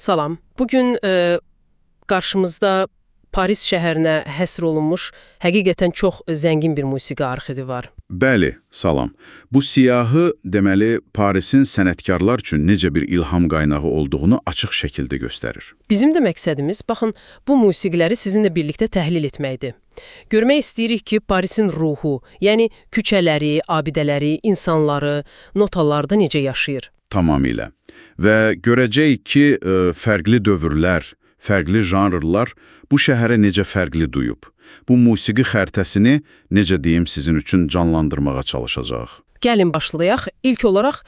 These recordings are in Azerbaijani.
Salam. Bugün qarşımızda Paris şəhərinə həsr olunmuş həqiqətən çox zəngin bir musiqi arxivi var. Bəli, salam. Bu siyahı, deməli, Parisin sənətkarlar üçün necə bir ilham qaynağı olduğunu açıq şəkildə göstərir. Bizim də məqsədimiz, baxın, bu musiqiləri sizinlə birlikdə təhlil etməkdir. Görmək istəyirik ki, Parisin ruhu, yəni küçələri, abidələri, insanları, notalarda necə yaşayır. Tamamilə. Və görəcəyik ki, fərqli dövrlər, fərqli janrlar bu şəhərə necə fərqli duyub. Bu musiqi xəritəsini, necə deyim, sizin üçün canlandırmağa çalışacaq. Gəlin başlayaq. İlk olaraq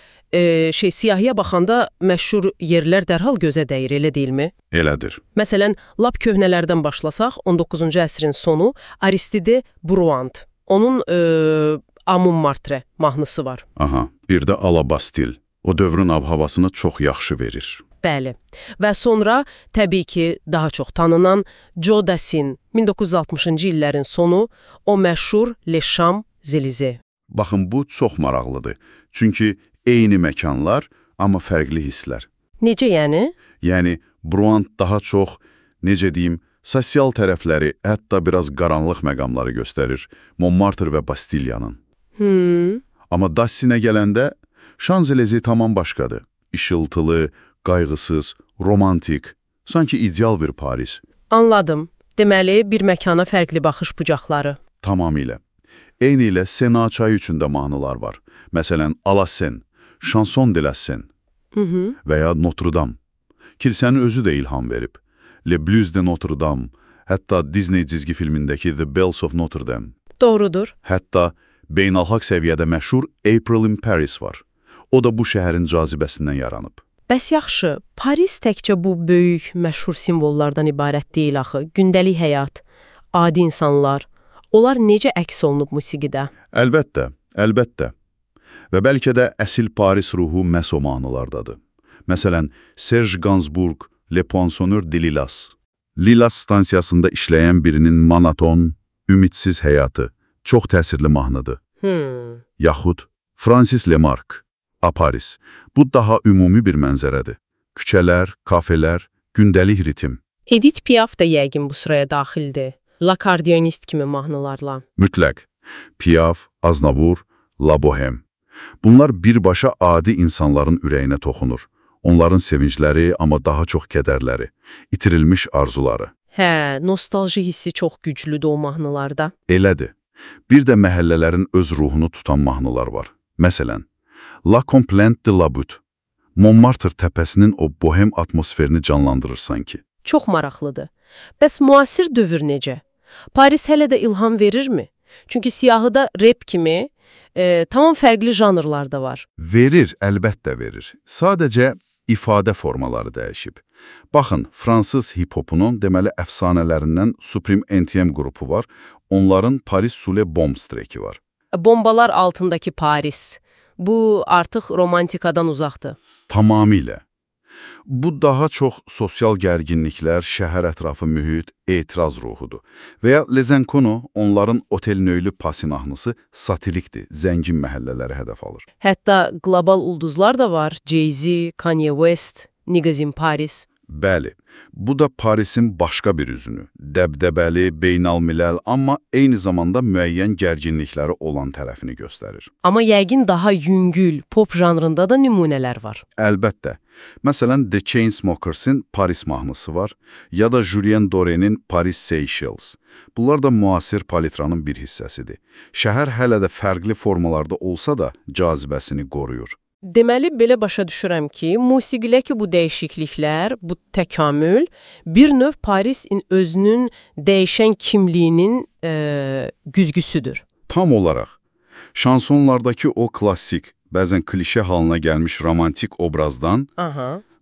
siyahıya baxanda məşhur yerlər dərhal gözə dəyir, elə deyilmi? Elədir. Məsələn, lap köhnələrdən başlasaq, 19-cu əsrin sonu Aristide Bruant. Onun Amun Martre mahnısı var. Aha, bir də Alabastil. O dövrün av-havasını çox yaxşı verir. Bəli. Və sonra, təbii ki, daha çox tanınan Joe Dassin, 1960-cı illərin sonu, o məşhur Les Champs-Élysées. Baxın, bu çox maraqlıdır. Çünki eyni məkanlar, amma fərqli hisslər. Necə yəni? Yəni, Bruant daha çox, necə deyim, sosial tərəfləri, hətta biraz qaranlıq məqamları göstərir. Montmartre və Bastilyanın. Amma Dassinə gələndə, Champs-Élysées tamam başqadır. İşıltılı, qayğısız, romantik, sanki ideal bir Paris. Anladım. Deməli, bir məkana fərqli baxış bucaqları. Tamamilə. Eyni ilə Sena çayı üçün də mahnılar var. Məsələn, A la Seine, Chanson de la Seine və ya Notre Dame. Kilsənin özü də ilham verib. Le Blues de Notre Dame, hətta Disney cizgi filmindəki The Bells of Notre Dame. Doğrudur. Hətta beynəlxalq səviyyədə məşhur April in Paris var. O da bu şəhərin cazibəsindən yaranıb. Bəs yaxşı, Paris təkcə bu böyük, məşhur simvollardan ibarət deyil axı. Gündəlik həyat, adi insanlar, onlar necə əks olunub musiqidə? Əlbəttə, əlbəttə. Və bəlkə də əsil Paris ruhu məhz o mahnılardadır. Məsələn, Serge Gainsbourg, Le Poinçonneur de Lilas. Lilas stansiyasında işləyən birinin monoton, ümidsiz həyatı çox təsirli mahnıdır. Yaxud Francis Lemarque, A Paris. Bu daha ümumi bir mənzərədir. Küçələr, kafelər, gündəlik ritim. Edith Piaf da yəqin bu sıraya daxildir. L'Accordionist kimi mahnılarla. Mütləq. Piaf, Aznavour, La Bohème. Bunlar birbaşa adi insanların ürəyinə toxunur. Onların sevincləri, amma daha çox kədərləri, itirilmiş arzuları. Hə, nostalji hissi çox güclüdür o mahnılarda. Elədir. Bir də məhəllələrin öz ruhunu tutan mahnılar var. Məsələn, La Complainte de la Butte. Montmartre təpəsinin o bohem atmosferini canlandırır sanki. Çox maraqlıdır. Bəs müasir dövr necə? Paris hələ də ilham verirmi? Çünki siyahıda rap kimi tamam fərqli janrlarda var. Verir, əlbəttə verir. Sadəcə ifadə formaları dəyişib. Baxın, fransız hip-hopunun deməli əfsanələrindən Supreme NTM qrupu var. Onların Paris sous les bombes treki var. Bombalar altındakı Paris. Bu artıq romantikadan uzaqdır. Tamamilə. Bu daha çox sosial gərginliklər, şəhər ətrafı mühit, etiraz ruhudur. Və ya Les Inconnus, onların Otel Nöylü Pasi mahnısı satirikdir, zəngin məhəllələri hədəf alır. Hətta qlobal ulduzlar da var. Jay-Z, Kanye West, Niggas in Paris. Bəli, bu da Parisin başqa bir üzünü. Dəbdəbəli, beynəlmiləl, amma eyni zamanda müəyyən gərginlikləri olan tərəfini göstərir. Amma yəqin daha yüngül, pop janrında da nümunələr var. Əlbəttə. Məsələn, The Chainsmokers'in Paris mahnısı var, ya da Julien Doré-nin Paris Seychelles. Bunlar da müasir palitranın bir hissəsidir. Şəhər hələ də fərqli formalarda olsa da cazibəsini qoruyur. Deməli, belə başa düşürəm ki, musiqidəki bu dəyişikliklər, bu təkamül, bir növ Parisin özünün dəyişən kimliyinin güzgüsüdür. Tam olaraq. Şansonlardakı o klassik, bəzən klişe halına gəlmiş romantik obrazdan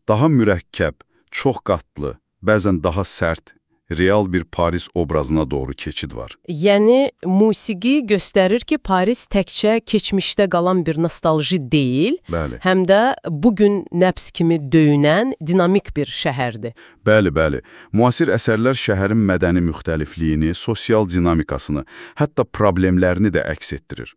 daha mürəkkəb, çox qatlı, bəzən daha sərt, real bir Paris obrazına doğru keçid var. Yəni, musiqi göstərir ki, Paris təkcə keçmişdə qalan bir nostalji deyil, Bəli. Həm də bugün nəbs kimi döyünən dinamik bir şəhərdir. Bəli. Müasir əsərlər şəhərin mədəni müxtəlifliyini, sosial dinamikasını, hətta problemlərini də əks etdirir.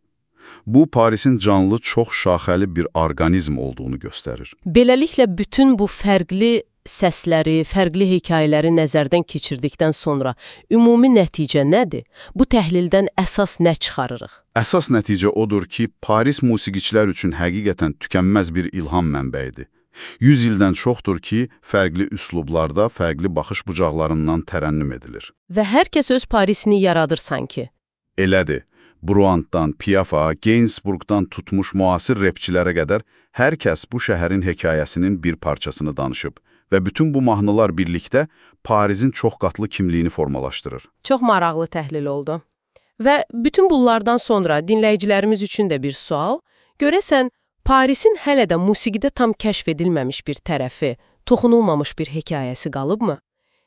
Bu, Parisin canlı, çox şaxəli bir orqanizm olduğunu göstərir. Beləliklə, bütün bu fərqli səsləri, fərqli hekayələri nəzərdən keçirdikdən sonra ümumi nəticə nədir? Bu təhlildən əsas nə çıxarırıq? Əsas nəticə odur ki, Paris musiqiçilər üçün həqiqətən tükənməz bir ilham mənbəyidir. 100 ildən çoxdur ki, fərqli üslublarda, fərqli baxış bucaqlarından tərənnüm edilir. Və hər kəs öz Parisini yaradır sanki. Elədir. Bruantdan, Piaf'a, Gainsbourgdan tutmuş müasir repçilərə qədər hər kəs bu şəhərin hekayəsinin bir parçasını danışıb və bütün bu mahnılar birlikdə Parisin çoxqatlı kimliyini formalaşdırır. Çox maraqlı təhlil oldu. Və bütün bunlardan sonra dinləyicilərimiz üçün də bir sual. Görəsən, Parisin hələ də musiqidə tam kəşf edilməmiş bir tərəfi, toxunulmamış bir hekayəsi qalıbmı?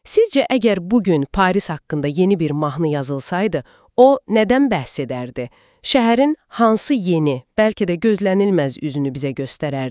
Sizcə, əgər bugün Paris haqqında yeni bir mahnı yazılsaydı, o nədən bəhs edərdi? Şəhərin hansı yeni, bəlkə də gözlənilməz üzünü bizə göstərərdi?